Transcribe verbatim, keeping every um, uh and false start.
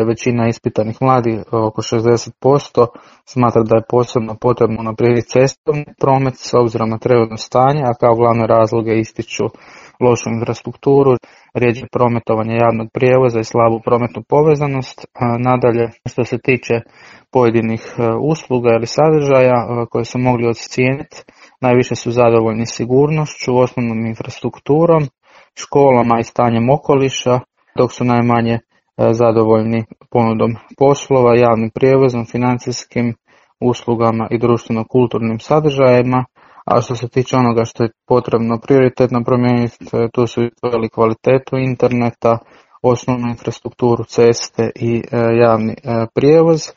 Većina ispitanih mladih, oko šezdeset posto, smatra da je posebno potrebno unaprijediti cestovni promet s obzirom na trenutno stanje, a kao glavne razloge ističu lošu infrastrukturu, rjeđe prometovanje javnog prijevoza i slabu prometnu povezanost. Nadalje, što se tiče pojedinih usluga ili sadržaja koje su mogli ocijeniti, najviše su zadovoljni sigurnošću, osnovnom infrastrukturom, školama i stanjem okoliša, dok su najmanje zadovoljni ponudom poslova, javnim prijevozom, financijskim uslugama i društveno-kulturnim sadržajima. A što se tiče onoga što je potrebno prioritetno promijeniti, tu su izdvojili kvalitetu interneta, osnovnu infrastrukturu, ceste i javni prijevoz.